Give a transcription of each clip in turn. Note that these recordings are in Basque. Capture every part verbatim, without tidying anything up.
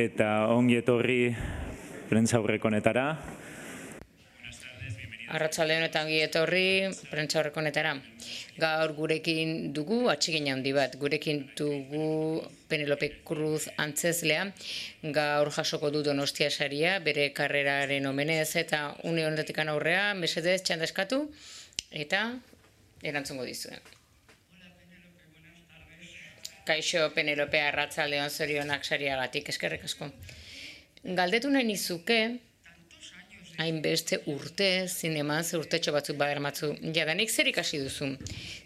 eta ongi etorri prentsaurreko honetara. Arratsalde honetan ongi etorri prentsaurreko honetara. Gaur gurekin dugu atsegin handi bat. Gurekin dugu Penelope Cruz antzeslea. Gaur jasoko du Donostia saria bere karreraren omenez eta une honetik aurrea mesedez txanda eskatu eta erantzungo dizuen. Kaixo Penelope, arratsaldeon, zorionak sariagatik, eskerrik asko. Galdetu nahi nizuke, hainbeste urte, zineman, ze urtetxo batzuk badermatzu, jadanik zer ikasi duzu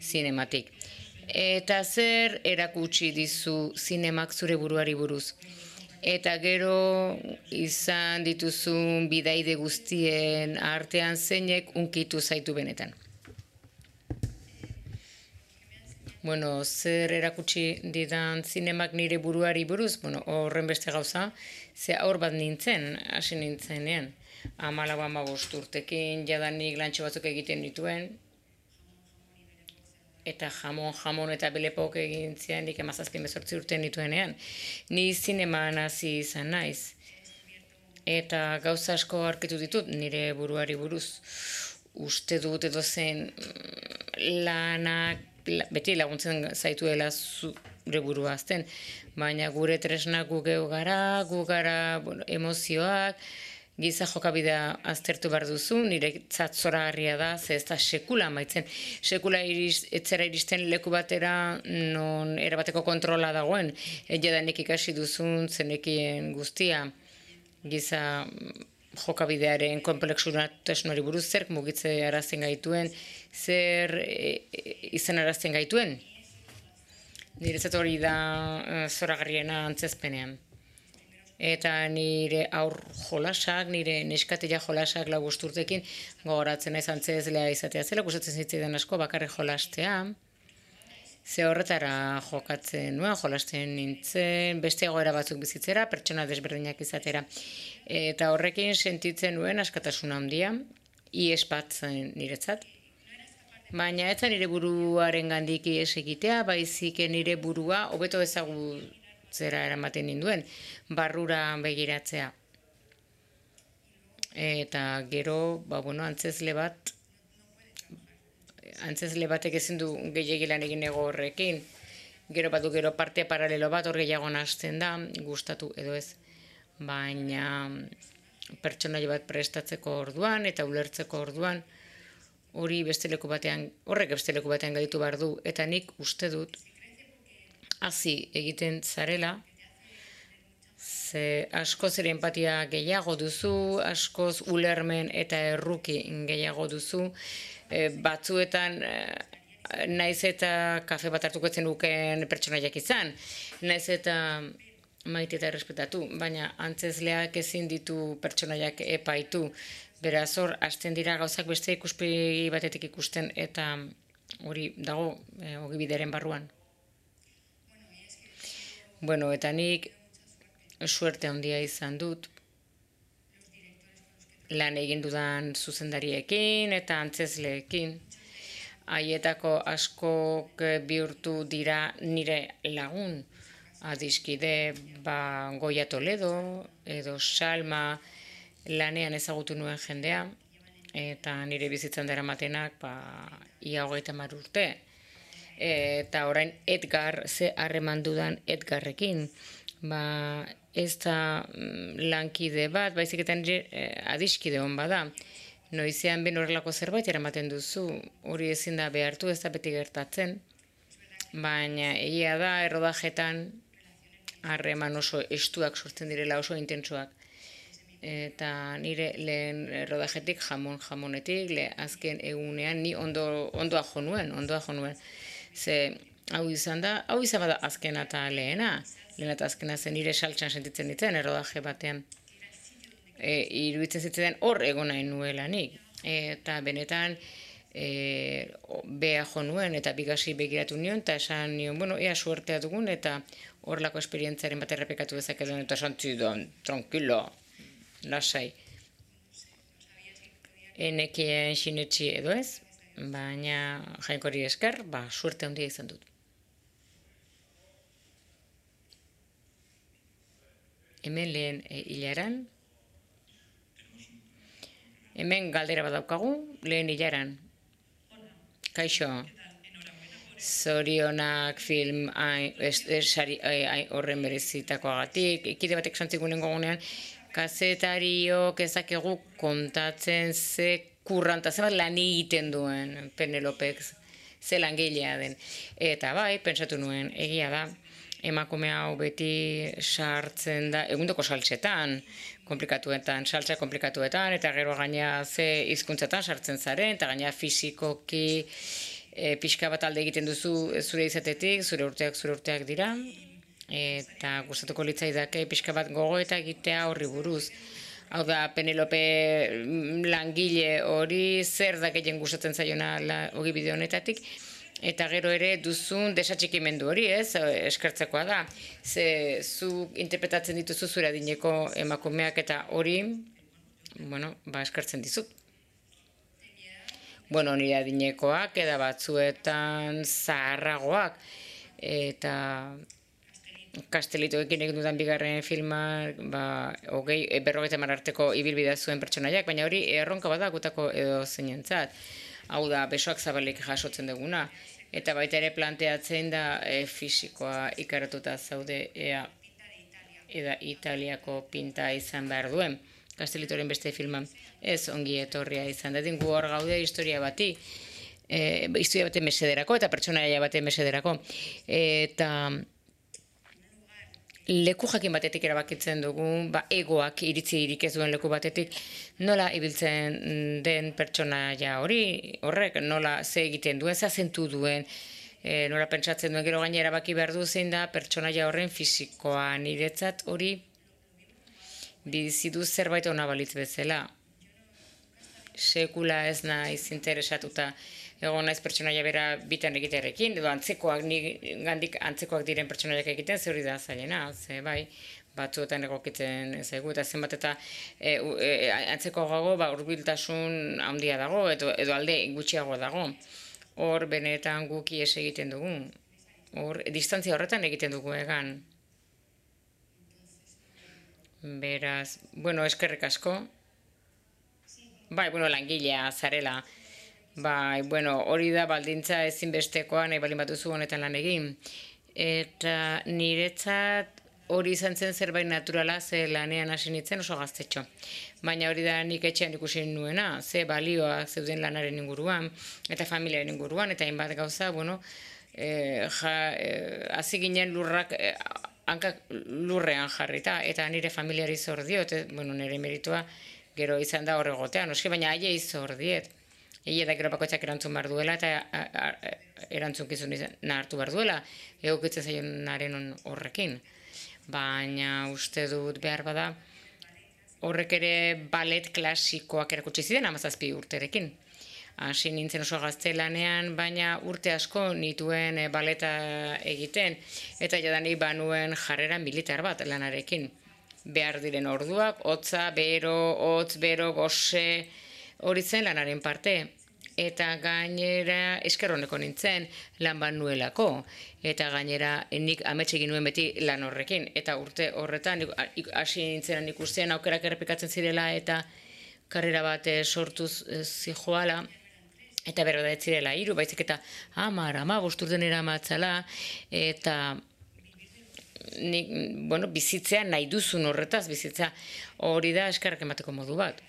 zinematik. Eta zer erakutsi dizu zinemak zure buruari buruz. Eta gero izan dituzun bidaide guztien artean zeinek unkitu zaitu benetan. Bueno, zer erakutsi didan zinemak nire buruari buruz, bueno, horren beste gauza, ze aur bat nintzen, hasi nintzenean. Hamalau hamabost urtekin jadanik lantxo batzuk egiten dituen, eta jamon, jamon eta belepok egin zian, nik emazazpin bezortzi urte nituenean. Ni zineman hasi izan naiz. Eta gauza asko aurkitu ditut nire buruari buruz. Uste dut edo zen lanak, beti laguntzen zaituela zure burua azten, baina gure tresnak gu geu gara, gu gara bueno, emozioak, giza jokabidea aztertu behar duzu, nire zoragarria da, ze ez da sekula maitzen. Sekula iriz, etzera iristen leku batera non erabateko kontrola dagoen, jadanik ikasi duzun zenekien guztia, giza jokabidearen konplexutasunari buruz, zer mugitze arazten gaituen, zer e, izan arazten gaituen. Niretzat hori da e, zoragarriena antzezpenean. Eta nire aur jolasak, nire neskatila jolasak lau urtekin gogoratzen naiz antzezlea izatea zela, gustatzen zitzaidan asko bakarrik jolastea. Ze horretara jokatzen nuen, jolasten nintzen, beste egoera batzuk bizitzera, pertsona desberdinak izatera. Eta horrekin sentitzen nuen askatasun handia, ihes bat zen niretzat. Baina ez nire buruaren gandik ihes egitea, baizik nire burua hobeto ezagutzera eramaten ninduen, barrura begiratzea. Eta gero, ba, bueno, antzezle bat, antzezle batek ezin du gehiegi lan egin ego horrekin. Gero badu gero parte paralelo bat hor gehiago nahasten da, gustatu edo ez. Baina pertsonaia bat prestatzeko orduan eta ulertzeko orduan hori beste leku batean, horrek beste leku batean gaitu behar du. Eta nik uste dut hasi egiten zarela, ze askoz ere empatia gehiago duzu, askoz ulermen eta erruki gehiago duzu, e, batzuetan e, naiz eta kafe bat hartuko etzen duken pertsonaiak izan, naiz eta maite eta errespetatu, baina antzezleak ezin ditu pertsonaiak epaitu, beraz hor, hasten dira gauzak beste ikuspegi batetik ikusten eta hori dago e, ogibideren barruan. Bueno, eta nik suerte handia izan dut, lan egin dudan zuzendariekin eta antzezleekin. Haietako askok bihurtu dira nire lagun, adiskide ba, Goia Toledo edo Salma lanean ezagutu nuen jendea, eta nire bizitzan daramatenak ba, ia hogeita hamar urte. Eta orain Edgar, ze harreman dudan Edgarrekin, ba, ez da lankide bat, baizik eta nire eh, adiskide hon bada. Noizean ben horrelako zerbait eramaten duzu, hori ezin da behartu, ez da beti gertatzen. Baina egia da, errodajetan harreman oso estuak sortzen direla, oso intentsuak. Eta nire lehen errodajetik, jamon jamonetik, le azken egunean ni ondo, ondoa jo nuen, ondoa jo nuen. Ze hau izan da, hau izan bada azkena eta lehena. Lehen eta azkena zen nire saltsan sentitzen ditzen errodaje batean. E, iruditzen zitzen hor egon nahi nuelanik. Eta benetan e, beha jo nuen eta bigasi begiratu nion, eta esan nion, bueno, ea suertea dugun, eta horlako esperientziaren bat errepekatu dezakedun, eta esan zidan, tranquilo, lasai. Enekien sinetxi edo ez, baina Jainkoari esker, ba, suerte handia izan dut. hemen lehen hilaran, hemen galdera bat daukagu, lehen hilaran. Kaixo, zorionak film horren berezitakoagatik, ekide batek santzikunen gogunean, kazetariok ezakegu kontatzen ze kurranta, ze bat lan egiten duen Penelopek, ze langilea den. Eta bai, pentsatu nuen, egia da, emakume hau beti sartzen da, egundoko saltsetan, komplikatuetan, saltsa komplikatuetan, eta gero gaina ze hizkuntzatan sartzen zaren, eta gaina fisikoki e, pixka bat alde egiten duzu zure izatetik, zure urteak zure urteak dira, eta gustatuko litzaidake pixka bat gogo eta egitea horri buruz. Hau da, Penelope langile hori zer da gehien gustatzen zaiona ogibide honetatik, eta gero ere duzun desatxikimendu hori, ez, eskertzekoa da. Ze zu interpretatzen dituzu zure adineko emakumeak eta hori, bueno, ba eskertzen dizut. Bueno, nire adinekoak eda batzuetan zaharragoak, eta Kastelitoekin egin dudan bigarren filma, ba, hogei, berrogeita hamar arteko ibilbidea zuen pertsonaiak, baina hori erronka bada gutako edo zeinentzat. Hau da, besoak zabalik jasotzen duguna. Eta baita ere planteatzen da e, fisikoa ikaratuta zaude ea, eda Italiako pinta izan behar duen. Kastelitoren beste filma ez ongi etorria izan dadin, gu hor gaude historia bati, e, historia bate mesederako eta pertsonaia bate mesederako. Eta leku jakin batetik erabakitzen dugu, ba, egoak iritzi irik ez duen leku batetik, nola ibiltzen den pertsonaia hori, horrek, nola ze egiten duen, ze azentu duen, e, nola pentsatzen duen, gero gaina erabaki behar du zein da pertsonaia horren fisikoa, niretzat hori bizidu zerbait ona balitz bezala. Sekula ez naiz interesatuta egon naiz pertsonaia bera bitan egitearekin, edo antzekoak, gandik antzekoak diren pertsonaiak egiten, ze hori da zailena, ze bai, batzuetan egokitzen zaigu, eta zenbat eta e, e, antzeko gago, ba, hurbiltasun handia dago, edo, edo alde gutxiago dago. Hor benetan guk ihes egiten dugu, hor distantzia horretan egiten dugu egan. Beraz, bueno, eskerrik asko. Bai, bueno, langilea zarela. Bai, bueno, hori da baldintza ezinbestekoa nahi balin batuzu honetan lan egin. Eta niretzat hori izan zen zerbait naturala, ze lanean hasi nintzen oso gaztetxo. Baina hori da nik etxean ikusi nuena, ze balioak zeuden lanaren inguruan, eta familiaren inguruan, eta hainbat gauza, bueno, e, ja, e, hasi ginen lurrak, e, hankak lurrean jarrita, eta nire familiari zor diot, e, bueno, nire meritua gero izan da horregotean, oski, baina aile zor diet. Egia da gero bakoitzak erantzun behar duela eta erantzunkizun hartu behar duela, egokitzen zaionaren horrekin. Baina uste dut behar bada horrek ere ballet klasikoak erakutsi ziren hamazazpi urterekin. Hasi nintzen oso gaztelanean, baina urte asko nituen baleta egiten, eta jadanik banuen jarrera militar bat lanarekin. Behar diren orduak, hotza, bero, hotz, bero, gose, hori zen lanaren parte, eta gainera eskerroneko nintzen lan ban nuelako, eta gainera nik amets egin nuen beti lan horrekin, eta urte horretan hasi nintzenan ikusten aukerak errepikatzen zirela eta karrera bat sortuz zijoala, eta berro da ez zirela hiru, baizik eta hamar, hamabost urtenera matzala, eta nik, bueno, bizitzea nahi duzun horretaz, bizitza hori da eskerrak emateko modu bat.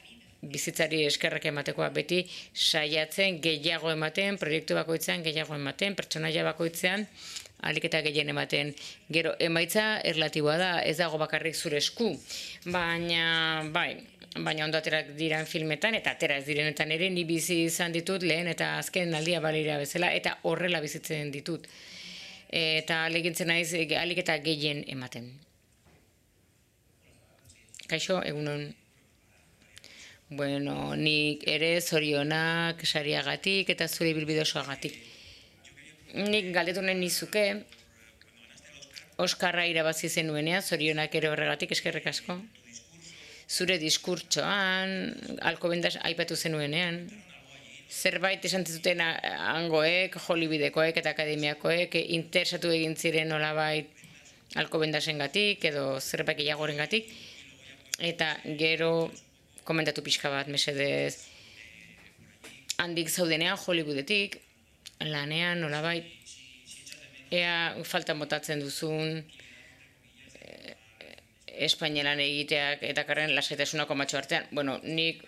Bizitzari eskerrak ematekoa beti saiatzen gehiago ematen, proiektu bakoitzean gehiago ematen, pertsonaia bakoitzean ahalik eta gehien ematen. Gero emaitza erlatiboa da, ez dago bakarrik zure esku, baina bai, baina ondo aterak diran filmetan eta atera ez direnetan ere ni bizi izan ditut lehen eta azken aldia balira bezala eta horrela bizitzen ditut. Eta alegintzen naiz ahalik eta gehien ematen. Kaixo, egunon. Bueno, nik ere zorionak sariagatik eta zure ibilbide osoagatik. Nik galdetu nahi nizuke, Oskarra irabazi zenuenean, zorionak ere horregatik eskerrik asko. Zure diskurtsoan, Alcobendas aipatu zenuenean, zerbait esan zuten hangoek, Hollywoodeko eta akademiakoek, interesatu egin ziren nolabait alkobendasengatik edo zerbait gehiagorengatik, eta gero komentatu pixka bat, mesedez, handik zaudenean Hollywoodetik, lanean, nolabait, ea faltan botatzen duzun Espainielan egiteak eta karren lasaitasunako matxo artean. Bueno, nik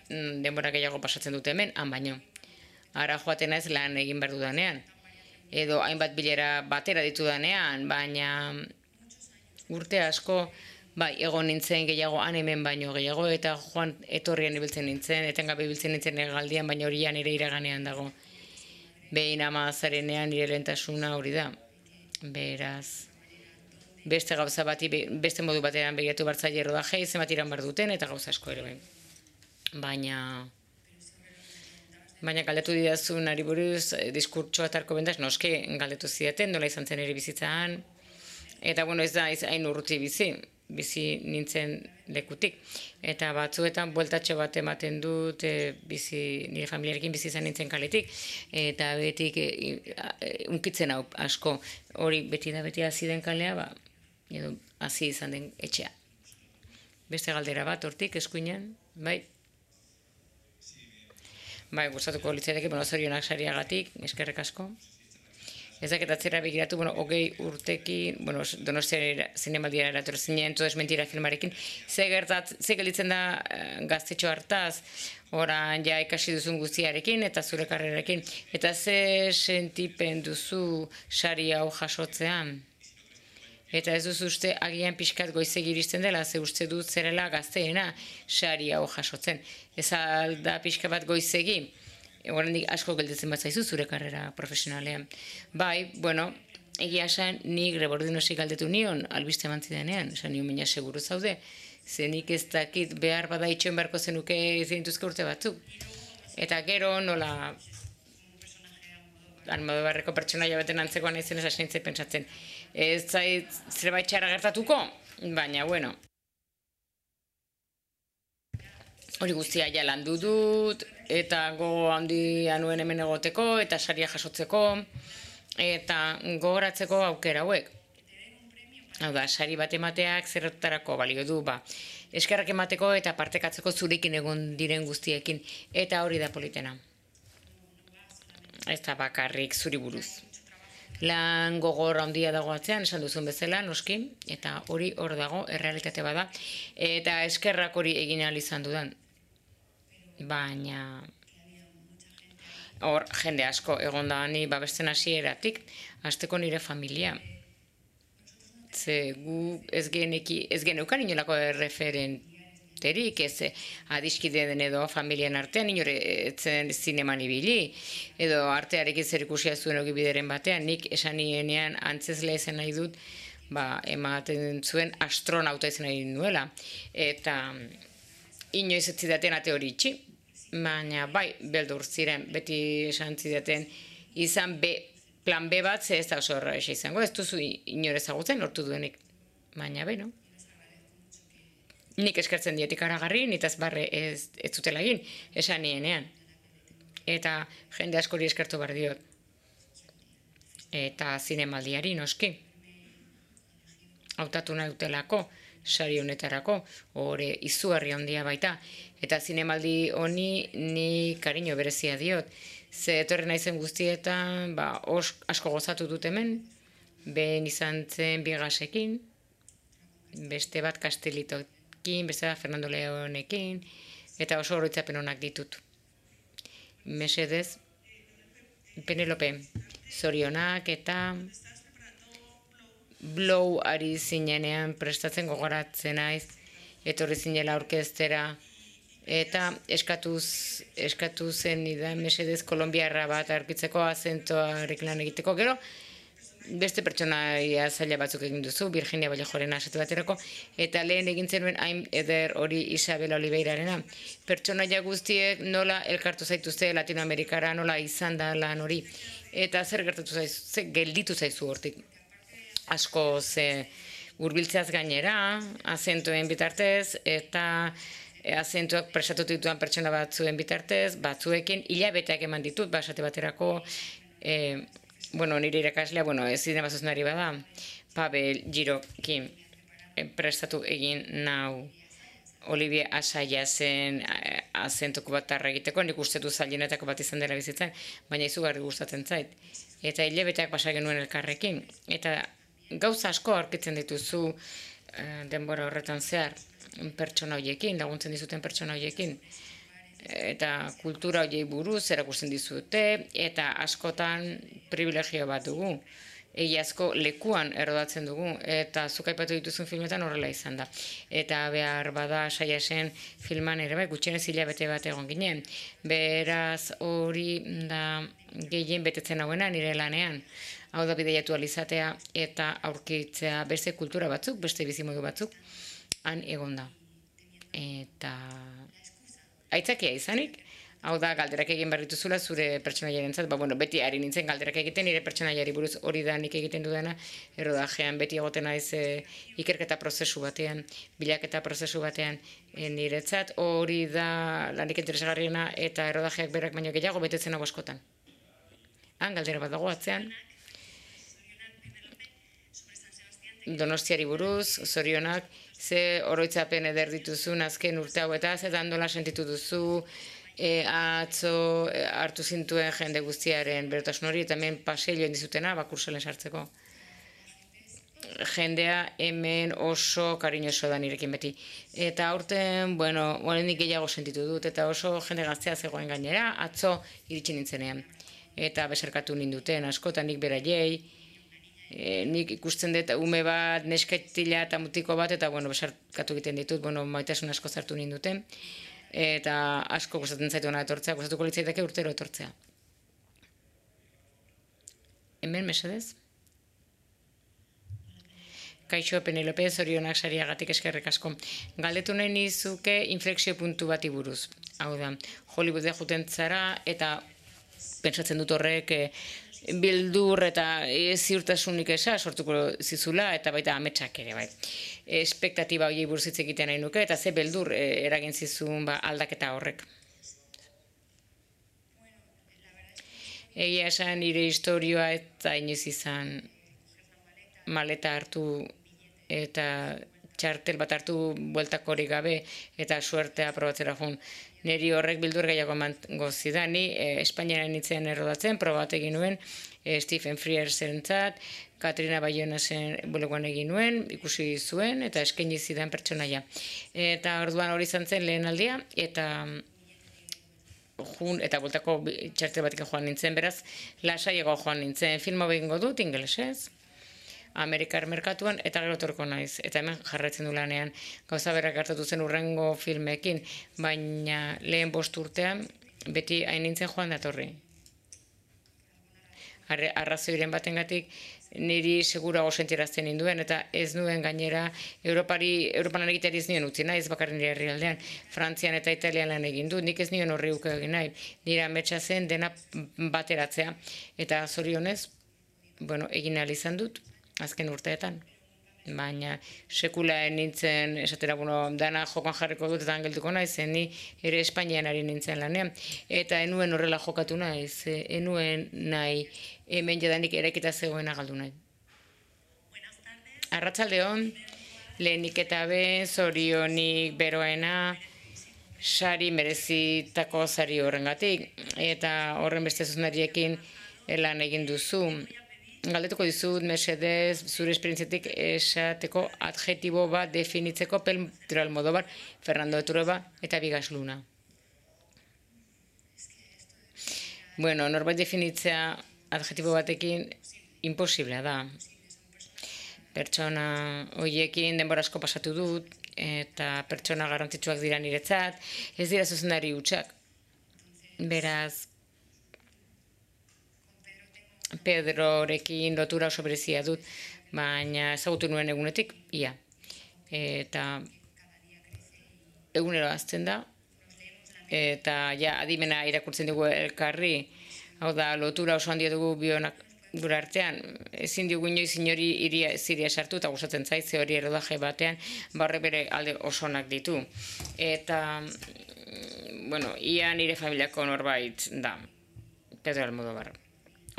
denbora gehiago pasatzen dute hemen, han baino. Ara joaten naiz lan egin behar dudanean. Edo hainbat bilera batera ditu danean, baina urte asko, bai, egon nintzen gehiago han hemen baino gehiago, eta joan etorrian ibiltzen nintzen, etengabe ibiltzen nintzen egaldian, baina horian nire iraganean dago. Behin ama zarenean nire lehentasuna hori da. Beraz, beste gauza bati, beste modu batean begiratu bartzaile rodajei, zenbat iran bar duten, eta gauza asko ere behin. Baina, baina galdetu didazun ari buruz, diskurtsoa eta alkobendaz, noske galdetu zidaten, nola izan zen ere bizitzaan, eta bueno, ez da hain urruti bizi, bizi nintzen lekutik. Eta batzuetan bueltatxo bat ematen dut, e, bizi, nire familiarekin bizi izan nintzen kaletik, eta betik e, e, unkitzen hau asko, hori beti da beti hasi den kalea, ba, edo hasi izan den etxea. Beste galdera bat, hortik, eskuinean, bai? Bai, gustatuko litzateke, bueno, zorionak sariagatik, eskerrek asko. Ez dakit atzera begiratu, bueno, hogei urtekin, bueno, Donostia zinemaldiara erator zinen, todo es mentira filmarekin, ze gertat, ze gelditzen da gaztetxo hartaz, oran ja ikasi duzun guztiarekin eta zure karrerarekin, eta ze sentipen duzu sari hau jasotzean? Eta ez duzu uste agian pixkat goizegi iristen dela, ze uste dut zerela gazteena sari hau jasotzen. Ez alda pixka bat goizegi, oraindik asko gelditzen bat zaizu zure karrera profesionalean. Bai, bueno, egia esan nik Rebordinosi galdetu nion, albiste eman zidanean, esan nion baina seguru zaude, ze nik ez dakit behar bada itxoen beharko zenuke zenituzke urte batzuk. Eta gero nola Almodobarreko pertsonaia baten antzekoan naizen ez hasi nintzen pentsatzen. Ez zait zerbait txarra gertatuko, baina bueno. Hori guztia ja landu dut, eta gogo handia nuen hemen egoteko, eta saria jasotzeko, eta gogoratzeko aukera hauek. Hau da, sari bat emateak zertarako balio du, ba, eskerrak emateko eta partekatzeko zurekin egon diren guztiekin, eta hori da politena. Ez da bakarrik zuri buruz. Lan gogor handia dago atzean, esan duzun bezala, noski, eta hori hor dago, errealitate bada, eta eskerrak hori egin ahal izan dudan. Baina, hor, jende asko egon da ni babesten hasieratik, hasteko nire familia. Ze gu ez geneki, ez geneukan inolako erreferenterik, ez adiskide den edo familian artean, inore etzen zineman ibili, edo artearekin zer ikusia zuen ogibideren batean, nik esan nienean antzezle ezen nahi dut, ba, ematen zuen astronauta izan nahi nuela, eta inoiz ez zidaten ate hori itxi, baina bai, beldur ziren, beti esan zidaten izan B, plan B bat, ze ez da oso horra izango, ez duzu inore ezagutzen lortu duenik, baina beno. Nik eskertzen dietik aragarri, nitaz barre ez, ez zutela egin, esan nienean. Eta jende askori eskertu behar diot. Eta zinemaldiari noski. Hautatu nahi dutelako, sari honetarako, hori izugarri handia baita. Eta zinemaldi honi ni kariño berezia diot. Ze etorri naizen guztietan, ba, os, asko gozatu dut hemen, behin izan zen Bigasekin, beste bat Kastelitokin, beste bat Fernando Leonekin, eta oso oroitzapen onak ditut. Mesedez, Penelope, zorionak eta Blow ari zinenean prestatzen gogoratzen naiz, etorri zinela orkestera, eta eskatuz, eskatu zen idan mesedez kolombiarra bat aurkitzeko azentoarekin lan egiteko, gero beste pertsonaia zaila batzuk egin duzu, Virginia Vallejoren asatu baterako, eta lehen egin zenuen hain eder hori Isabel Oliveirarena. Pertsonaia guztiek nola elkartu zaituzte Latinoamerikara, nola izan da lan hori, eta zer gertatu zaizu, zer gelditu zaizu hortik. Asko ze hurbiltzeaz gainera, azentoen bitartez, eta azentuak presatutu dituan pertsona batzuen bitartez, batzuekin hilabeteak eman ditut, basate baterako, e, bueno, nire irakaslea, bueno, ez zinema zuzendari bada, Pavel Girokin prestatu egin nau Olivier Asaia zen azentuko bat tarra egiteko, nik uste du zailenetako bat izan dela bizitzen, baina izugarri gustatzen zait. Eta hilabeteak pasa genuen elkarrekin. Eta gauza asko aurkitzen dituzu denbora horretan zehar pertsona horiekin, laguntzen dizuten pertsona horiekin. Eta kultura horiei buruz erakusten dizute, eta askotan privilegio bat dugu. Egiazko lekuan errodatzen dugu, eta zuk aipatu dituzun filmetan horrela izan da. Eta behar bada Saiasen filman ere bai, gutxienez hilabete bat egon ginen. Beraz hori da gehien betetzen hauena nire lanean. Hau da bideiatu alizatea eta aurkitzea beste kultura batzuk, beste bizimodu batzuk, han egon da. Eta aitzakia izanik, hau da, galderak egin behar dituzula zure pertsonaiaren zat, ba, bueno, beti ari nintzen galderak egiten, nire pertsonaiari buruz hori da nik egiten dudana, errodajean beti egoten naiz e, ikerketa prozesu batean, bilaketa prozesu batean e, niretzat, hori da lanik interesgarriena eta errodajeak berak baino gehiago betetzen hau askotan. Han, galdera bat dago atzean, Donostiari buruz, zorionak, ze oroitzapen eder dituzun azken urte hau eta ze dandola sentitu duzu, E, atzo e, hartu zintuen jende guztiaren berotasun hori, eta hemen paseilloen dizutena, bakurselen sartzeko. Jendea hemen oso kariñoso da nirekin beti. Eta aurten, bueno, nik gehiago sentitu dut, eta oso jende gaztea zegoen gainera, atzo iritsi nintzenean. Eta besarkatu ninduten, askotan nik beraiei, e, nik ikusten dut ume bat, nesketila eta mutiko bat, eta bueno, besarkatu egiten ditut, bueno, maitasun asko zartu ninduten. Eta asko gustatzen zaitu hona etortzea, gustatuko litzaidake urtero etortzea. Hemen, mesedez? Kaixo, Penelope, zorionak sariagatik eskerrik asko. Galdetu nahi nizuke inflexio puntu bati buruz. Hau da, Hollywoodea juten zara eta pentsatzen dut horrek bildur eta ziurtasunik esa sortuko zizula eta baita ametsak ere bai. Espektatiba horiei buruz hitz egiten nahi nuke eta ze beldur eragin zizun ba, aldaketa horrek. Egia esan nire historioa eta inoiz izan maleta hartu eta txartel bat hartu bueltak hori gabe eta suertea probatzera joan. Neri horrek bildur gehiago emango zidan, ni eh, Espainiaren nintzen errodatzen, proba bat egin nuen, eh, Stephen Frearsen zat, Katrina Bayonasen bulegoan egin nuen, ikusi zuen, eta eskaini zidan pertsonaia. Eta orduan hori izan zen lehen aldia, eta jun, eta bultako txartel batik joan nintzen, beraz, lasaiago joan nintzen, filma behingo dut, ingelesez, Amerikar merkatuan, eta gero torko naiz. Eta hemen jarraitzen du lanean. Gauza berak gertatu zen urrengo filmekin, baina lehen bost urtean beti hain nintzen joan datorri. Arrazoiren batengatik niri segurago sentirazten ninduen, eta ez nuen gainera Europari, Europan egiteari ez nien utzi nahi, ez bakarri nire herrialdean, Frantzian eta Italian lan egin du, nik ez nien horri uke egin nahi, nire ametsa zen dena bateratzea, eta zorionez, bueno, egin ahal izan dut, azken urteetan. Baina sekula nintzen, esatera, bueno, dana jokan jarriko dut eta angeltuko naiz, ni ere Espainian ari nintzen lanean. Eta enuen horrela jokatu naiz, enuen nahi hemen jadanik eraikita zegoena galdu nahi. Arratsaldeon, lehenik eta ben, zorionik beroena, sari merezitako sari horrengatik, eta horren beste zuzendariekin lan egin duzu. Galdetuko dizut, mesedez, zure esperientziatik esateko adjetibo bat definitzeko Pedro Almodóvar, Fernando de Trueba eta Bigas Luna. Bueno, norbait definitzea adjetibo batekin imposiblea da. Pertsona horiekin denbora asko pasatu dut, eta pertsona garrantzitsuak dira niretzat, ez dira zuzendari hutsak. Beraz, Pedrorekin lotura oso berezia dut, baina ezagutu nuen egunetik, ia. Eta egunero hazten da, eta ja adimena irakurtzen dugu elkarri, hau da, lotura oso handia dugu bionak gure artean, ezin dugu inoiz inori iria ziria sartu, eta gustatzen zaitze hori erodaje batean, barre bere alde osonak ditu. Eta, bueno, ia nire familiako norbait da, Pedro Almodóvar.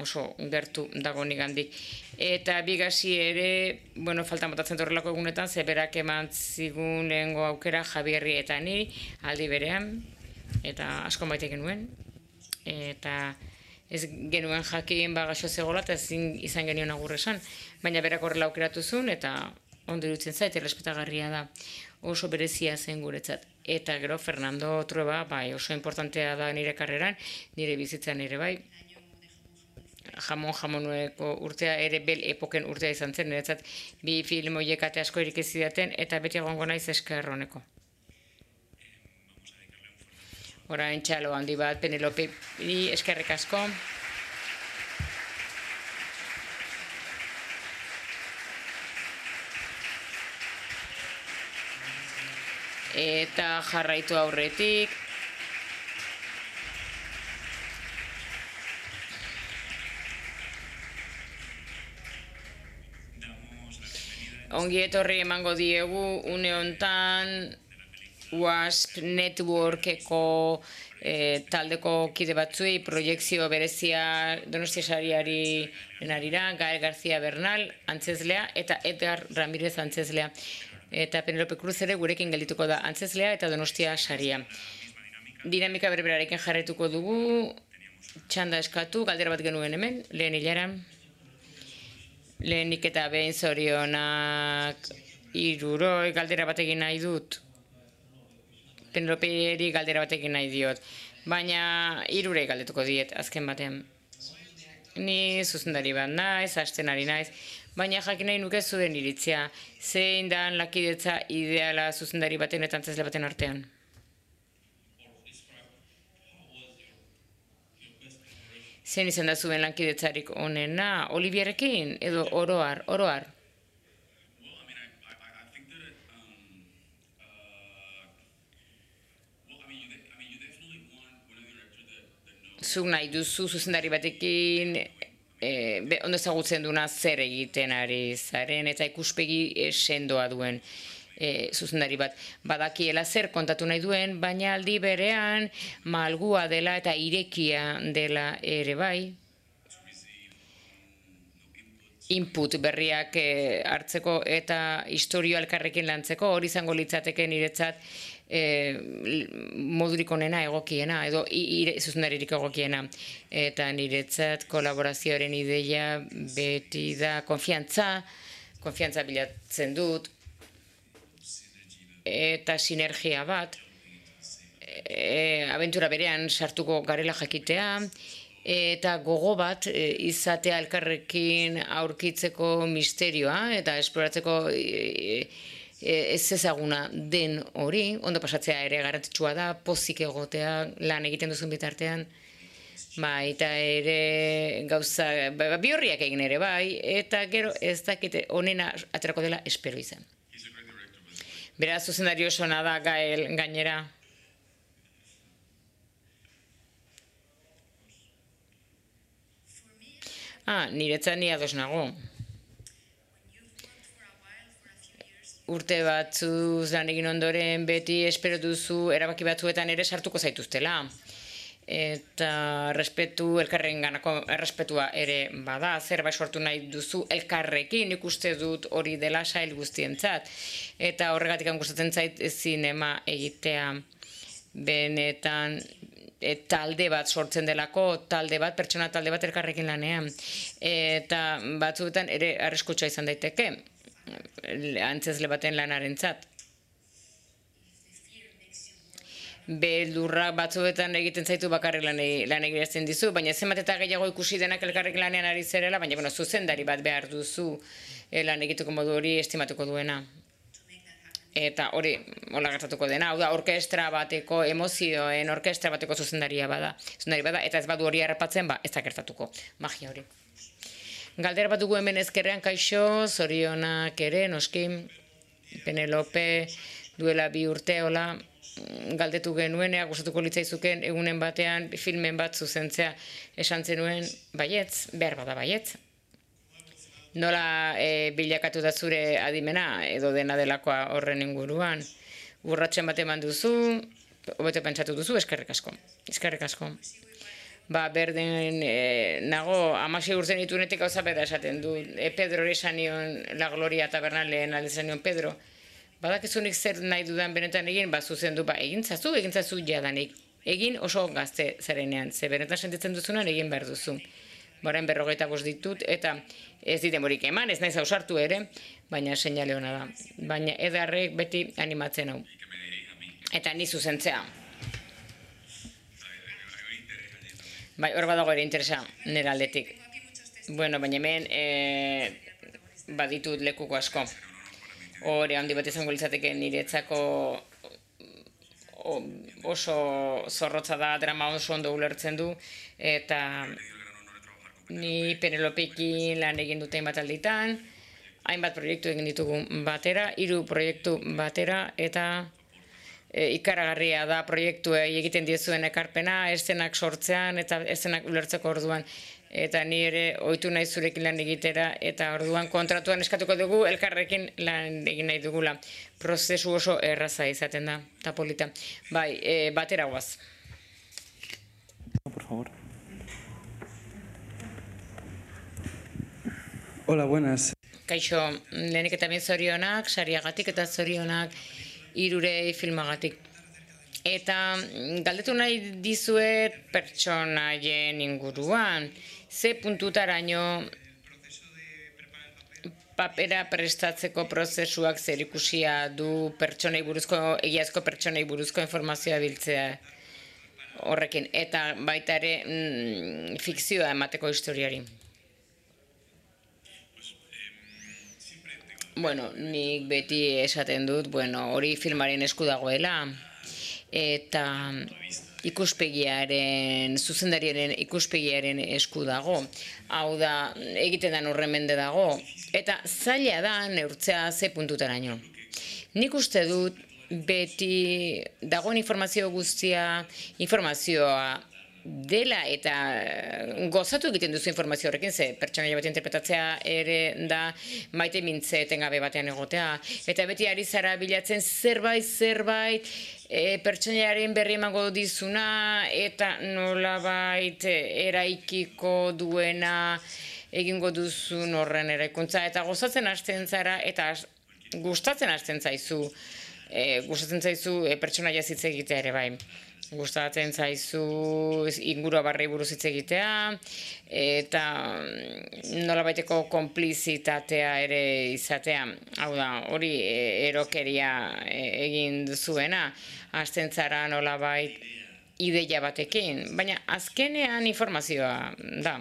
oso gertu dago nigandik. Eta bigasi ere, bueno, faltan botatzen horrelako egunetan, ze berak eman zigun lehengo aukera Javierri eta niri aldi berean, eta asko maite genuen. Eta ez genuen jakin bagaxo zegoela eta ezin izan genion agur esan, baina berak horrela aukeratu zuen eta ondo iruditzen zait, errespetagarria da. Oso berezia zen guretzat. Eta gero Fernando Trueba, bai, oso importantea da nire karreran, nire bizitzan ere bai. Jamon jamonueko urtea ere bel epoken urtea izan zen, niretzat bi film horiek ate asko erik ez zidaten eta beti egongo naiz esker honeko. Orain txalo handi bat Penelope eskerrik asko. Eta jarraitu aurretik. Ongi etorri emango diegu une hontan WASP Networkeko e, taldeko kide batzuei proiekzio berezia Donostia Sariari narira, Gael García Bernal, antzezlea, eta Edgar Ramirez antzezlea. Eta Penelope Cruz ere gurekin geldituko da antzezlea eta Donostia Saria. Dinamika berberarekin jarraituko dugu, txanda eskatu, galdera bat genuen hemen, lehen hilaran. Lehenik eta behin zorionak hiruroi galdera bat egin nahi dut. Peneloperi galdera bat egin nahi diot. Baina hirurei galdetuko diet azken batean. Ni zuzendari bat naiz, hasten ari naiz, baina jakin nahi nuke zuen iritzia. Zein dan lakidetza ideala zuzendari baten eta antzezle baten artean? Zein izan da zuen lankidetzarik onena? Olivierekin edo oroar, oroar? Zuk nahi duzu zuzendari batekin e, ondo ezagutzen duna zer egiten ari zaren eta ikuspegi sendoa duen e, zuzendari bat. Badakiela zer kontatu nahi duen, baina aldi berean malgua dela eta irekia dela ere bai. Input berriak e, hartzeko eta historio elkarrekin lantzeko, hori izango litzateke niretzat E, modurik onena egokiena, edo zuzendaririk egokiena. Eta niretzat kolaborazioaren ideia beti da konfiantza, konfiantza bilatzen dut, eta sinergia bat, e, abentura berean sartuko garela jakitea, eta gogo bat e, izatea elkarrekin aurkitzeko misterioa, eta esploratzeko e, ez ezaguna den hori, ondo pasatzea ere garrantzitsua da, pozik egotea lan egiten duzun bitartean, ba, eta ere gauza, ba, bi horriak egin ere bai, eta gero ez dakite onena aterako dela espero izan. Beraz, zuzendari oso da Gael gainera. Ah, niretzat ni ados nago. Urte batzuz lan egin ondoren beti espero duzu erabaki batzuetan ere sartuko zaituztela. Eta respetu elkarren ganako errespetua ere bada, zerbait sortu nahi duzu elkarrekin, ikuste dut hori dela sail guztientzat. Eta horregatik gustatzen zait zinema egitea benetan e, talde bat sortzen delako, talde bat, pertsona talde bat elkarrekin lanean. Eta batzuetan ere arriskutsua izan daiteke. Antzezle baten lanarentzat. Beldurra batzuetan egiten zaitu bakarrik lan egiten dizu, baina zenbat eta gehiago ikusi denak elkarrek lanean ari zerela, baina bueno, zuzendari bat behar duzu lan egiteko modu hori estimatuko duena. Eta hori, hola gertatuko dena, hau da, orkestra bateko, emozioen orkestra bateko zuzendaria bada. Zuzendari bada, eta ez badu hori harrapatzen, ba, ez da gertatuko. Magia hori. Galdera bat dugu hemen ezkerrean, kaixo, zorionak ere, noski, Penelope duela bi urte, hola, galdetu genuen, ea gustatuko litzaizuken egunen batean filmen bat zuzentzea esan zenuen, baietz, behar bada baietz. Nola e, bilakatu da zure adimena, edo dena delakoa horren inguruan, urratsen bat eman duzu, hobeto pentsatu duzu, eskerrik asko, eskerrik asko. ba, berdin e, nago, amasei urten itunetik gauza bera esaten du. E, Pedro esan nion La Gloria tabernalen alde nion Pedro. Badakizunik zer nahi dudan benetan egin, ba, zuzen du, ba, egin zazu, egin zazu jadanik. Egin oso gazte zarenean, ze benetan sentitzen duzunan egin behar duzu. Baren berrogeita bost ditut, eta ez dit demorik eman, ez naiz ausartu ere, baina seinale hona da. Baina edarrek beti animatzen hau. Eta ni zuzentzea. Bai, hor badago ere interesa nire aldetik. Bueno, baina hemen e, baditut lekuko asko. Hore handi bat izango litzateke niretzako oso zorrotza da, drama oso ondo ulertzen du, eta ni Penelopekin lan egin dute hainbat alditan, hainbat proiektu egin ditugu batera, hiru proiektu batera, eta e, ikaragarria da proiektuei egiten diezuen ekarpena, eszenak sortzean eta eszenak ulertzeko orduan. Eta ni ere ohitu nahi zurekin lan egitera, eta orduan kontratuan eskatuko dugu elkarrekin lan egin nahi dugula. Prozesu oso erraza izaten da, eta polita. Bai, e, batera guaz. Por favor. Hola, buenas. Kaixo, lehenik eta bien zorionak, sariagatik eta zorionak hirurei filmagatik. Eta galdetu nahi dizuet pertsonaien inguruan, ze puntutaraino papera prestatzeko prozesuak zerikusia du pertsonei buruzko, egiazko pertsonei buruzko informazioa biltzea horrekin, eta baita ere mm, fikzioa emateko historiari. Bueno, nik beti esaten dut, bueno, hori filmaren esku dagoela, eta ikuspegiaren, zuzendariaren ikuspegiaren esku dago. Hau da, egiten da horren mende dago. Eta zaila da neurtzea ze puntutaraino. Nik uste dut beti dagoen informazio guztia, informazioa dela eta gozatu egiten duzu informazio horrekin, ze pertsonaia bat interpretatzea ere da maite mintze etengabe batean egotea. Eta beti ari zara bilatzen zerbait, zerbait, e, pertsonaiaren berri emango dizuna eta nolabait eraikiko duena egingo duzun horren eraikuntza. Eta gozatzen hasten zara eta gustatzen hasten zaizu, e, gustatzen zaizu e, pertsonaia hitz egitea ere bai. Gustatzen zaizu ingurua barri buruz hitz egitea, eta nolabaiteko konplizitatea ere izatea. Hau da, hori erokeria egin duzuena, hasten zara nolabait ideia batekin, baina azkenean informazioa da.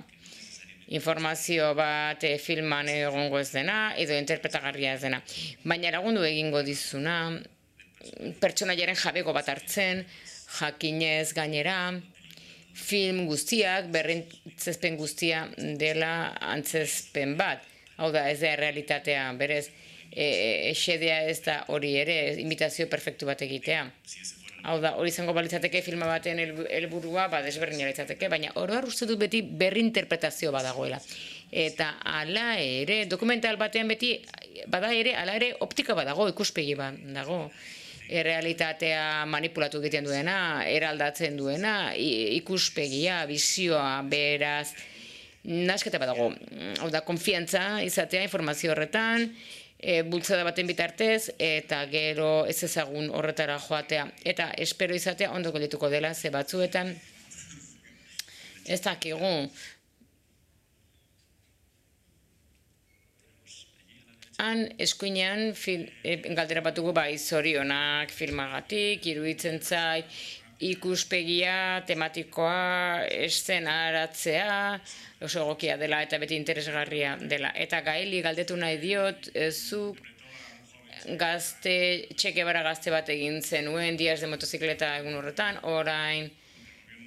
Informazio bat filman egongo ez dena, edo interpretagarria ez dena. Baina lagundu egingo dizuna, pertsonaiaren jabego bat hartzen, jakinez gainera, film guztiak, berrintzezpen guztia dela antzezpen bat. Hau da, ez da realitatea, berez, esedea ez da hori ere, imitazio perfektu bat egitea. Hau da, hori izango balitzateke filma baten helburua, ba, desberdina litzateke, baina oroar uste dut beti berrinterpretazio badagoela. Eta hala ere, dokumental batean beti, bada ere, hala ere, optika badago, ikuspegi bat dago. Realitatea manipulatu egiten duena, eraldatzen duena, ikuspegia, bizioa, beraz, nasketa badago. Hau da, konfiantza izatea informazio horretan, e, bultzada baten bitartez, eta gero ez ezagun horretara joatea. Eta espero izatea ondo geldituko dela, ze batzuetan, ez dakigu. Han eskuinean galdera batugu bai zorionak filmagatik, iruditzen zait, ikuspegia, tematikoa, eszenaratzea, oso egokia dela eta beti interesgarria dela. Eta Gaeli galdetu nahi diot, zuk gazte, Che Guevara gazte bat egin zenuen, Dias de motozikleta egun horretan, orain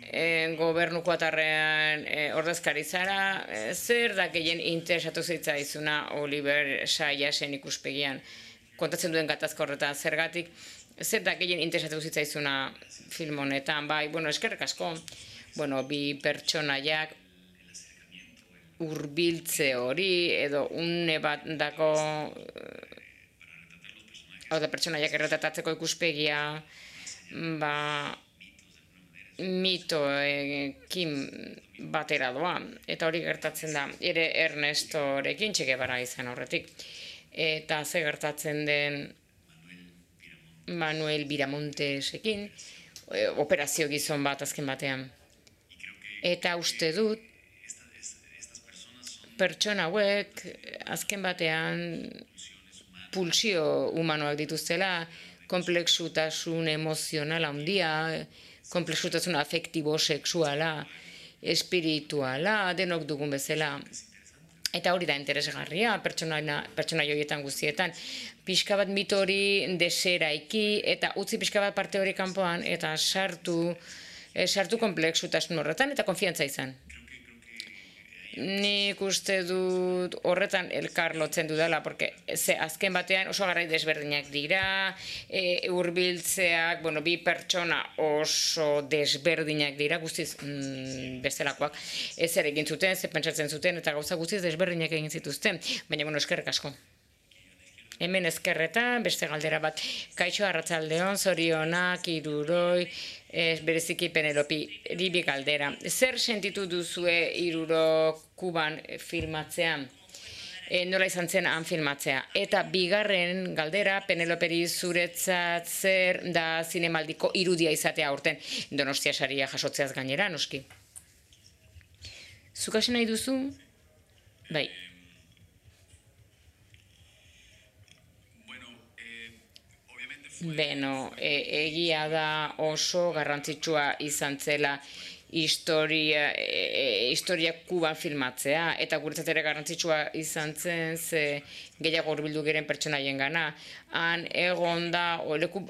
E, gobernuko atarrean e, ordezkari zara, e, zer da gehien interesatu zitzaizuna Oliver Sayasen ikuspegian, kontatzen duen gatazka horretan, zergatik, zer da gehien interesatu zitzaizuna film honetan, bai, bueno, eskerrik asko, bueno, bi pertsonaiak hurbiltze hori, edo une bat dako, hau da pertsonaiak erretatzeko ikuspegia, ba, mitoekin batera doa, eta hori gertatzen da, ere Ernestorekin Che Guevara izan horretik. Eta ze gertatzen den Manuel Viramontesekin, operazio gizon bat azken batean. Eta uste dut, pertsona hauek azken batean pulsio humanoak dituztela, komplexutasun emozionala handia, komplexutasun afektibo, sexuala, espirituala, denok dugun bezala. Eta hori da interesgarria, pertsona joietan guztietan. Pixka bat mito hori deseraiki, eta utzi pixka bat parte hori kanpoan, eta sartu, sartu komplexutasun horretan, eta konfiantza izan. Nik uste dut horretan elkar lotzen dudala, porque ze azken batean oso garai desberdinak dira, e, hurbiltzeak, bueno, bi pertsona oso desberdinak dira, guztiz mm, bestelakoak, ez ere egin zuten, ze pentsatzen zuten, eta gauza guztiz desberdinak egin zituzten, baina, bueno, eskerrik asko. Hemen ezkerretan, beste galdera bat, kaixo arratsaldeon, zorionak, iruroi, ez bereziki Penelopi, ribi galdera. Zer sentitu duzue iruro Kuban filmatzean? E, nola izan zen han filmatzea? Eta bigarren galdera, Peneloperi zuretzat zer da zinemaldiko irudia izatea aurten, Donostia saria jasotzeaz gainera, noski. Zuk hasi nahi duzu? Bai. Beno, e, egia da oso garrantzitsua izan zela historia, e, historia Kuban filmatzea, eta guretzat ere garrantzitsua izan zen ze gehiago hurbildu giren pertsonaien gana. Han egon da oleku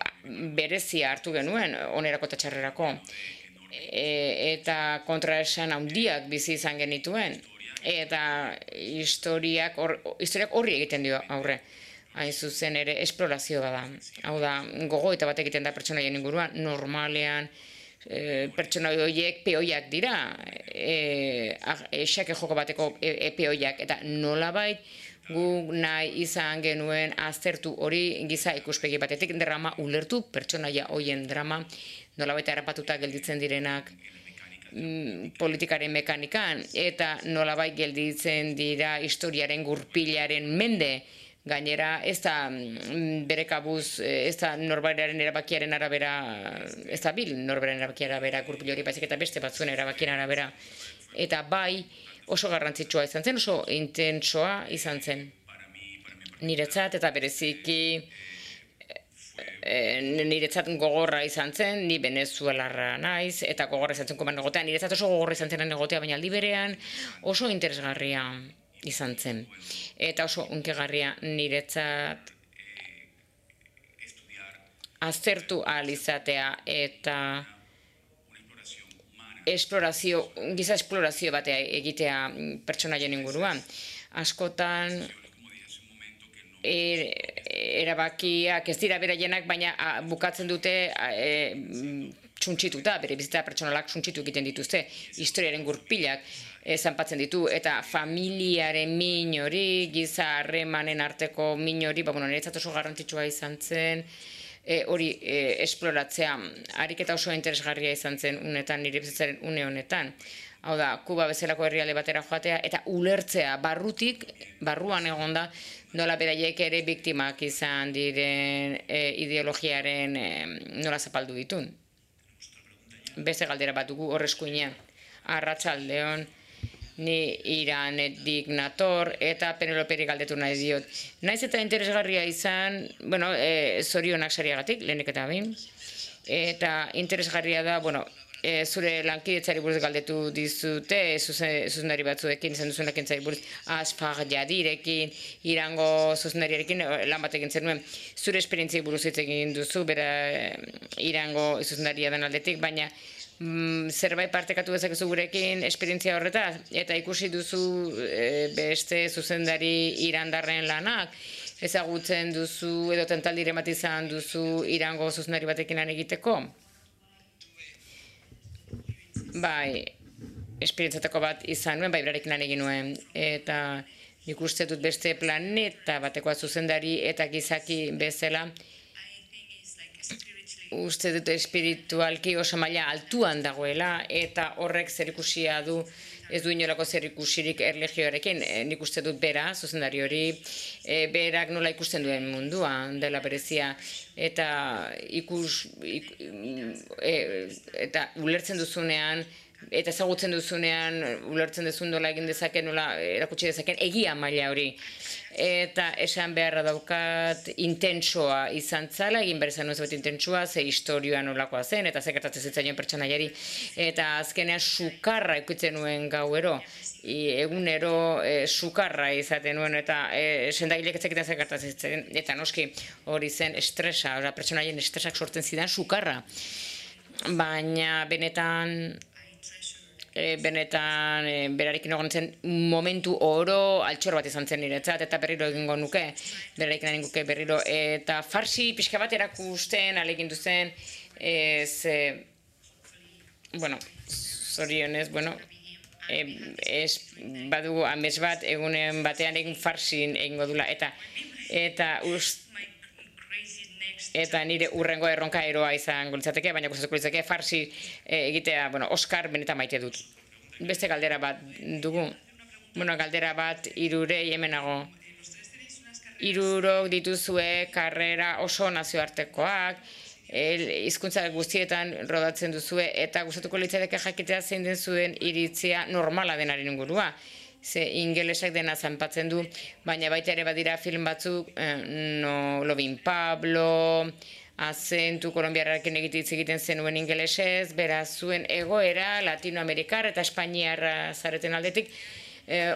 berezia hartu genuen, onerako eta txarrerako. E, eta kontraesan handiak bizi izan genituen. Eta historiak, or, historiak horri egiten dio aurre. Hain zuzen ere esplorazio da. Hau da, gogoeta bat egiten da pertsonaien inguruan, normalean e, pertsona horiek peoiak dira, e, esake joko bateko e, e, peoiak, eta nolabait guk nahi izan genuen aztertu hori giza ikuspegi batetik drama ulertu, pertsonaia hoien drama, nolabait harrapatuta gelditzen direnak mm, politikaren mekanikan, eta nolabait gelditzen dira historiaren gurpilaren mende. Gainera, ez da bere kabuz, ez da norberaren erabakiaren arabera, ez da bil norberaren erabakiaren arabera gurpil hori baizik eta beste batzuen erabakiaren arabera. Eta bai oso garrantzitsua izan zen, oso intensoa izan zen. Niretzat eta bereziki e, niretzat gogorra izan zen, ni venezuelarra naiz, eta gogorra izan zen Kuban egotea. Niretzat oso gogorra izan zen egotea, baina aldi berean oso interesgarria izan zen. Eta oso unkegarria niretzat aztertu ahal izatea eta esplorazio, giza esplorazio batea egitea pertsonaien inguruan. Askotan er, erabakiak ez dira beraienak, baina a, bukatzen dute e, txuntxituta, bere bizitza pertsonalak txuntxitu egiten dituzte, historiaren gurpilak zanpatzen ditu, eta familiaren min hori, giza harremanen arteko min hori, ba, bueno, niretzat oso garrantzitsua izan zen, e, hori e, esploratzea, ariketa oso interesgarria izan zen unetan, nire bizitzaren une honetan. Hau da, Kuba bezalako herrialde batera joatea, eta ulertzea barrutik, barruan egonda, nola beraiek ere biktimak izan diren e, ideologiaren e, nola zapaldu ditun. Beste galdera bat dugu horrezkuinean. Arratsaldeon, ni Iranetik nator, eta Peneloperi galdetu nahi diot. Naiz eta interesgarria izan, bueno, e, zorionak sariagatik, lehenik eta bain, eta interesgarria da, bueno, e, zure lankidetzari buruz galdetu dizute, zuzendari batzuekin, izan duzunak entzari buruz, Asfar Jadirekin, Irango zuzendariarekin, lan bat egin zenuen, zure esperientziai buruz hitz egin duzu, bera Irango zuzendaria den aldetik, baina zerbait partekatu dezakezu gurekin esperientzia horretaz, eta ikusi duzu e, beste zuzendari irandarren lanak, ezagutzen duzu edo tentaldiren bat izan duzu Irango zuzendari batekin lan egiteko? Bai, esperientziatako bat izan nuen, bai berarekin lan egin nuen, eta nik uste dut beste planeta batekoa zuzendari eta gizaki bezala, uste dut espiritualki oso maila altuan dagoela, eta horrek zerikusia du, ez du inolako zerikusirik erlijioarekin. E, nik uste dut bera, zuzendari hori, e, berak nola ikusten duen mundua dela berezia, eta ikus, ik, e, eta ulertzen duzunean, eta ezagutzen duzunean, ulertzen duzun nola egin dezaken, nola erakutsi dezaken, egia maila hori. Eta esan beharra daukat intentsoa izan zala, egin behar izan nuen zebet intentsoa, ze historioa nolakoa zen, eta ze gertatzen zitzaion pertsonaiari. Eta azkenean sukarra ikutzen nuen gauero, egunero e, sukarra izaten nuen, eta e, sendagilek ez zekiten ze gertatzen zitzaion. Eta noski hori zen estresa, pertsonaien estresak sortzen zidan sukarra. Baina benetan... E, benetan e, berarekin egon zen momentu oro altxor bat izan zen niretzat, eta berriro egingo nuke, berarekin nahi nuke berriro, eta farsi pixka bat erakusten, alegindu zen, e, ze, bueno, zorionez, bueno, e, ez badugu amets bat, egunen batean egin farsin egingo dula, eta, eta ust, eta nire urrengo erronka eroa izango litzateke, baina gustatuko litzateke farsi egitea, bueno, Oscar benetan maite dut. Beste galdera bat dugu. Bueno, galdera bat hirurei hemenago. Hirurok dituzue karrera oso nazioartekoak, hizkuntza guztietan rodatzen duzue, eta gustatuko litzateke jakitea zein den zuen iritzia normala denaren ingurua. Ze ingelesak dena zanpatzen du, baina baita ere badira film batzuk, eh, no, Lovin Pablo, azentu kolombiarrarekin egititz egiten zenuen ingelesez, beraz zuen egoera, Latinoamerikar eta Espainiarra zareten aldetik,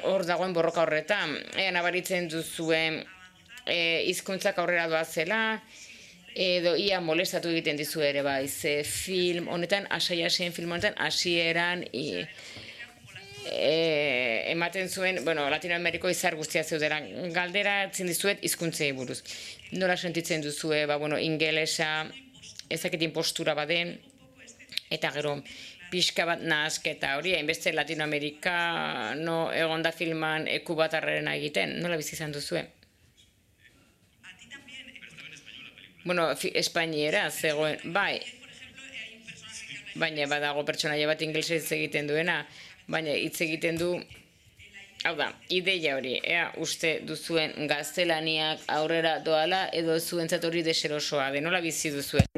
hor eh, dagoen borroka horretan. Ea nabaritzen duzuen eh, hizkuntzak aurrera doazela, edo ia molestatu egiten dizu ere bai, ze film honetan, asai-asein film honetan, hasieran i, E, ematen zuen, bueno, Latinoameriko izar guztia zeudera. Galdera etzen dizuet hizkuntzei buruz. Nola sentitzen duzue, ba, bueno, ingelesa, ezaketin postura baden, eta gero, pixka bat nahasketa hori, hainbeste Latinoamerikano egonda filman eku bat arrerena egiten. Nola bizi izan duzue? Bueno, espainiera, zegoen, bai, baina badago pertsonaia bat ingelesez egiten duena, baina hitz egiten du, hau da, ideia hori, ea uste duzuen gaztelaniak aurrera doala edo zuentzat hori deserosoa, de nola bizi duzuen?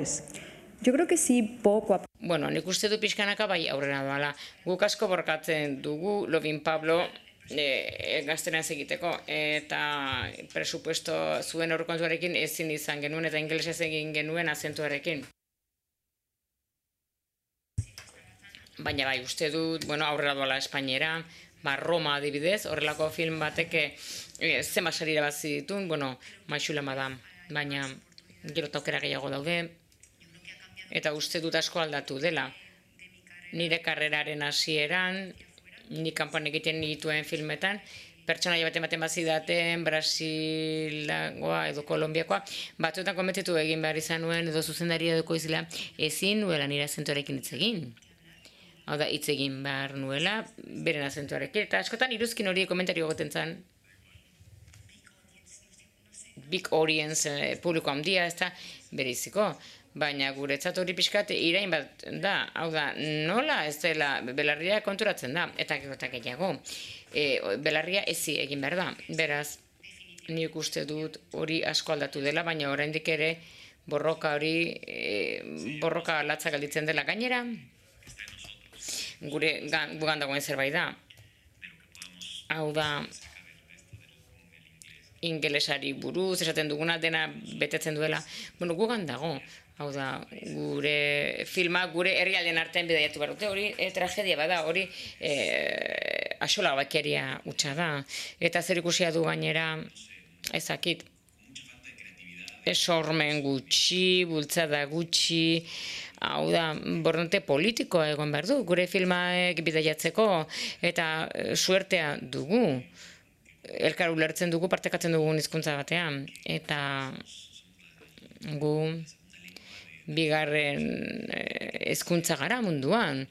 Yo creo que sí, poco a... Bueno, nik uste du pixkanaka bai aurrera doala. Guk asko borkatzen dugu, Lovin Pablo, e, gaztelanez egiteko, eta presupuesto zuen aurrekontuarekin ezin izan genuen, eta ingelesez egin genuen azentuarekin. Baina bai, uste dut, bueno, aurrera doala Espainiera, ba, Roma adibidez, horrelako film bateke e, zema sarira bat zitun, bueno, Maixula Madame, baina gero taukera gehiago daude, eta uste dut asko aldatu dela. Nire karreraren hasieran, ni kanpoan egiten dituen filmetan, pertsonaia baten baten bazidaten, Brasilagoa edo Kolombiakoa, batzuetan kometitu egin behar izan nuen, edo zuzendaria edo koizela, ezin nuela nire azentuarekin hitz egin. Hau da, hitz egin behar nuela, beren azentuarekin. Eta askotan iruzkin hori komentario goten zen. Big audience, eh, publiko handia, ez da, bereiziko. Baina guretzat hori pixkat irain bat da. Hau da, nola ez dela, belarria konturatzen da. Eta gerotak gehiago. E, belarria ezi egin behar da. Beraz, nik uste dut hori asko aldatu dela, baina oraindik ere borroka hori, e, borroka latza galditzen dela gainera. Gure gugan dagoen zerbait da. Hau da, ingelesari buruz, esaten duguna dena betetzen duela. Bueno, gugan dago. Hau da, gure filma, gure herrialden artean bidaiatu behar dute, hori e, tragedia bada, hori e, axola bakeria hutsa da. Eta zer ikusia du gainera, ezakit, esormen gutxi, bultzada gutxi, hau da, borronte politikoa egon behar du, gure filmaek bidaiatzeko, eta suertea dugu. Elkar ulertzen dugu, partekatzen dugun hizkuntza batean. Eta gu bigarren hizkuntza gara munduan.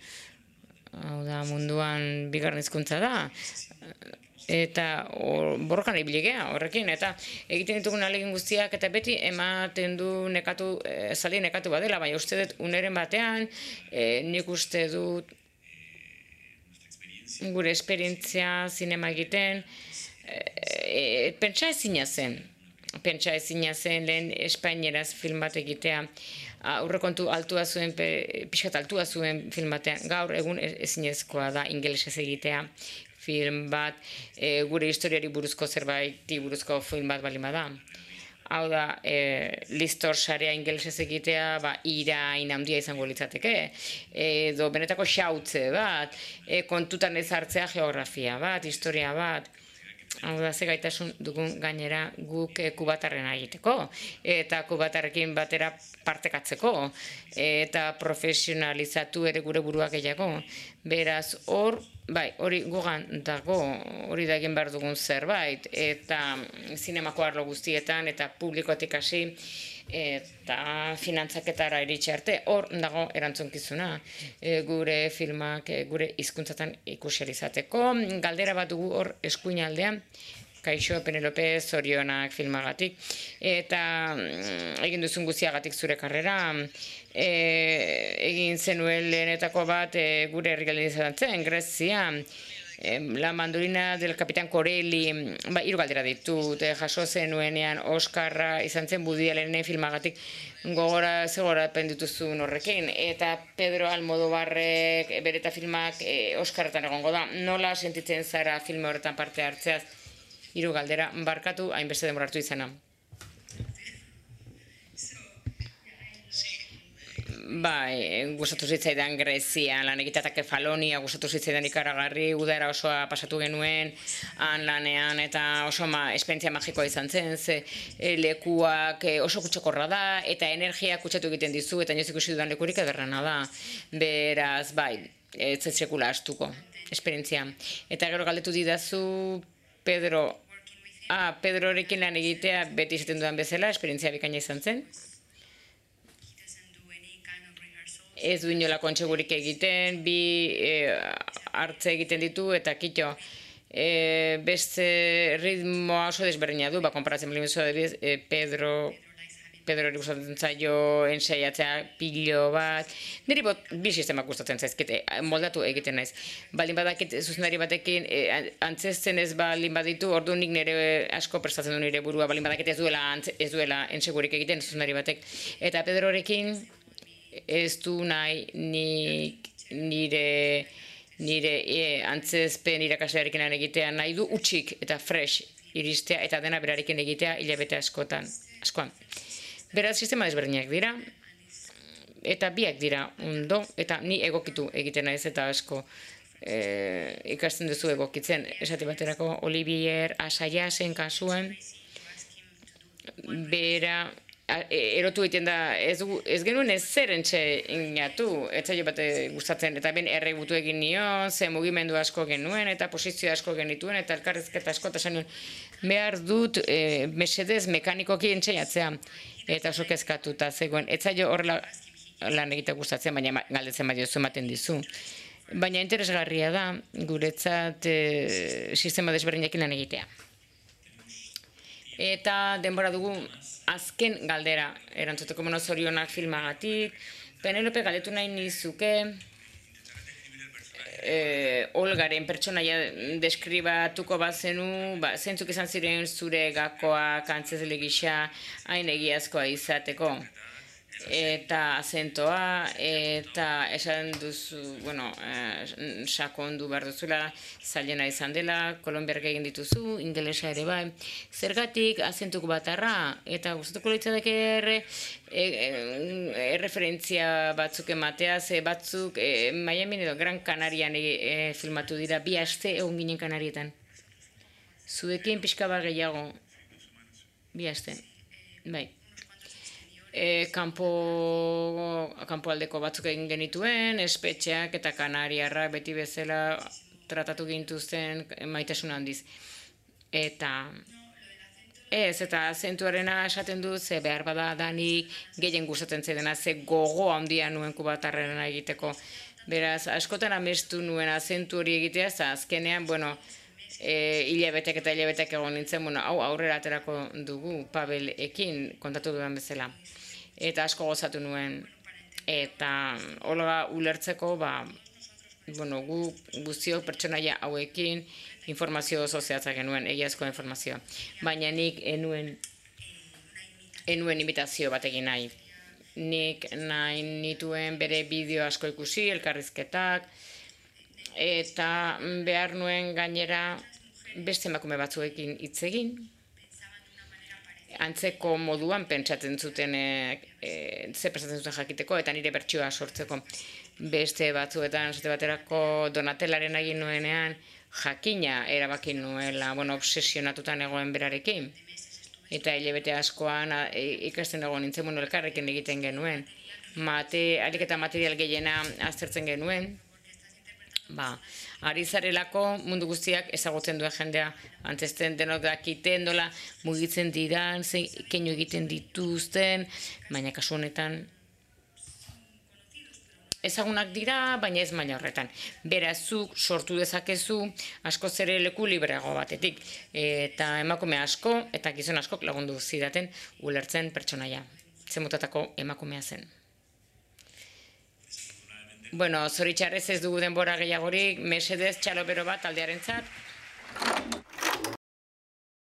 Hau da, munduan bigarren hizkuntza da. eta borrokan ibiligea horrekin, eta egiten ditugun ahalegin guztiak, eta beti ematen du nekatu, zaldi nekatu badela, baina uste dut uneren batean, nik uste dut gure esperientzia zinema egiten, pentsa ezina zen, pentsa ezina zen lehen espainieraz film bat egitea, aurrekontu altua zuen, pixkat altua zuen film batean, gaur egun ezinezkoa da ingelesez egitea film bat, gure historiari buruzko zerbaiti buruzko film bat bali bada. Hau da, listor sarea ingelesez egitea, irain handia izango litzateke, edo benetako xautze bat, kontutan ez hartzea geografia bat, historia bat. Hau da, ze gaitasun dugun gainera guk kubatarrena egiteko, eta kubatarrekin batera partekatzeko, eta profesionalizatu ere gure buruak gehiago. Beraz, hor, bai, hori gugan dago, hori da egin behar dugun zerbait, eta zinemako arlo guztietan, eta publikotik hasi, eta finantzaketara iritsi arte, hor dago erantzunkizuna, gure filmak, gure hizkuntzatan ikusi izateko. Galdera bat dugu hor eskuinaldean, Kaixo, Penelope, zorionak filmagatik, eta egin duzun guztiagatik zure karrera, egin zenuen lehenetako bat gure herrialdean izan zen, Grezia, La mandolina del Kapitan Corelli, hiru galdera ditut, jaso zenuenean Oskarra izan zen Woody Allenen filmagatik gogora zegorapen dituzun horrekin, eta Pedro Almodovarrek bere eta filmak Oskarretan egongo da. Nola sentitzen zara filme horretan parte hartzeaz? Hiru galdera, barkatu hainbeste denbora hartu izana. Bai, gustatu zitzaidan Grezia, lan egitea Kefalonia, gustatu zitzaidan ikaragarri, udara osoa pasatu genuen, han lanean, eta oso esperientzia magikoa izan zen, ze lekuak oso kutsakorra da, eta energia kutsatu egiten dizu, eta inoiz ikusi dudan lekurik ederrena da. Beraz, bai, ez sekula astuko, esperientzia. Eta gero galdetu didazu, Pedro, ah, Pedrorekin lan egitea, beti izaten dudan bezala, esperientzia bikaina izan zen. Ez du inolako kontsegurik egiten, bi hartze egiten ditu, eta kito, beste ritmoa oso desberdina du, konparatzen bali mezu adibidez, Pedro, Pedro hori gustatzen zaio ensaiatzea pilo bat, niri bi sistemak gustatzen zaizkite, moldatu egiten naiz. Baldin badakit zuzendari batekin antzesten ez baldin baditu, ordu nik nire asko prestatzen du nire burua, baldin badakit ez duela, ez duela entsegurik egiten zuzendari batek. Eta Pedrorekin ez du nahi nik nire, nire antzezpen irakaslearekin egitea nahi du utxik eta fresh iristea eta dena berarekin egitea hilabete askotan, askoan. Beraz, sistema desberdinak dira, eta biak dira ondo, eta ni egokitu egiten naiz eta asko ikasten duzu egokitzen. Esate baterako Olivier Assayasen kasuen, bera, erotu egiten da, ez genuen ez zer entxe ingatu, ez zailo bat gustatzen, eta ben erregutu egin nion, ze mugimendu asko genuen, eta posizio asko genituen, eta elkarrizketa asko, eta esan nuen, behar dut mesedez mekanikoki entxeiatzea, eta oso kezkatuta zegoen, ez zailo horrela lan egite gustatzen, baina galdetzen baino zu ematen dizu. Baina interesgarria da, guretzat sistema desberdinekin lan egitea. Eta denbora dugu azken galdera erantzuteko zorionak filmagatik. Penelope galdetu nahi nizuke Olgaren pertsonaia deskribatuko bazenu, zentzuk izan ziren zure gakoak antzezle gisa hain egiazkoa izateko. Eta azentoa, eta esan duzu, bueno, sakondu behar duzula, zailena izan dela, kolombiarrak egin dituzu, ingelesa ere bai. Zergatik azentuko batarra, eta gustatuko litzateke erreferentzia batzuk ematea, ze batzuk Miami edo Gran Canarian filmatu dira, bi aste egon ginen Kanarietan. Zuekin pixka bat gehiago, bi aste, bai. Kanpoaldeko batzuk egin genituen, espetxeak eta Kanariarrak beti bezala tratatu gintuzten maitasun handiz. Eta ez, eta azentuarena esaten du, ze behar bada danik gehien gustatzen zedena, ze gogo handia nuen kubatarrena egiteko. Beraz, askotan amestu nuen azentu hori egitea, eta azkenean, bueno, hilabetek eta hilabetek egon nintzen, bueno, hau aurrera aterako dugu Pabelekin kontatu dudan bezala. Eta asko gozatu nuen. Eta hola ulertzeko, ba, bueno, gu guztiok pertsonaia hauekin informazio oso zehatza genuen, egiazko informazioa. Baina nik enuen, enuen imitazio bat egin nahi. Nik nahi nituen bere bideo asko ikusi, elkarrizketak, eta behar nuen gainera beste emakume batzuekin hitz egin. Antzeko moduan pentsatzen zuten, e, e, ze prestatzen zuten jakiteko, eta nire bertsioa sortzeko. Beste batzuetan, esate baterako Donatelaren egin nuenean, jakina erabaki nuela, bueno, obsesionatutan egoen berarekin. Eta hilabete askoan e, ikasten egon nintzen, bueno, elkarrekin egiten genuen. Mate, alik eta material gehiena aztertzen genuen, ba, ari zarelako mundu guztiak ezagutzen duen jendea, antzesten denok dakiten dola, mugitzen diran, zein keinu egiten dituzten, baina kasu honetan ezagunak dira, baina ez maila horretan. Beraz, zuk sortu dezakezu askoz ere leku libreago batetik, eta emakume asko eta gizon askok lagundu zidaten ulertzen pertsonaia. Zemutatako emakumea zen. Bueno, zoritxarrez ez dugu denbora gehiagorik, mesedez txalopero bat taldearentzat.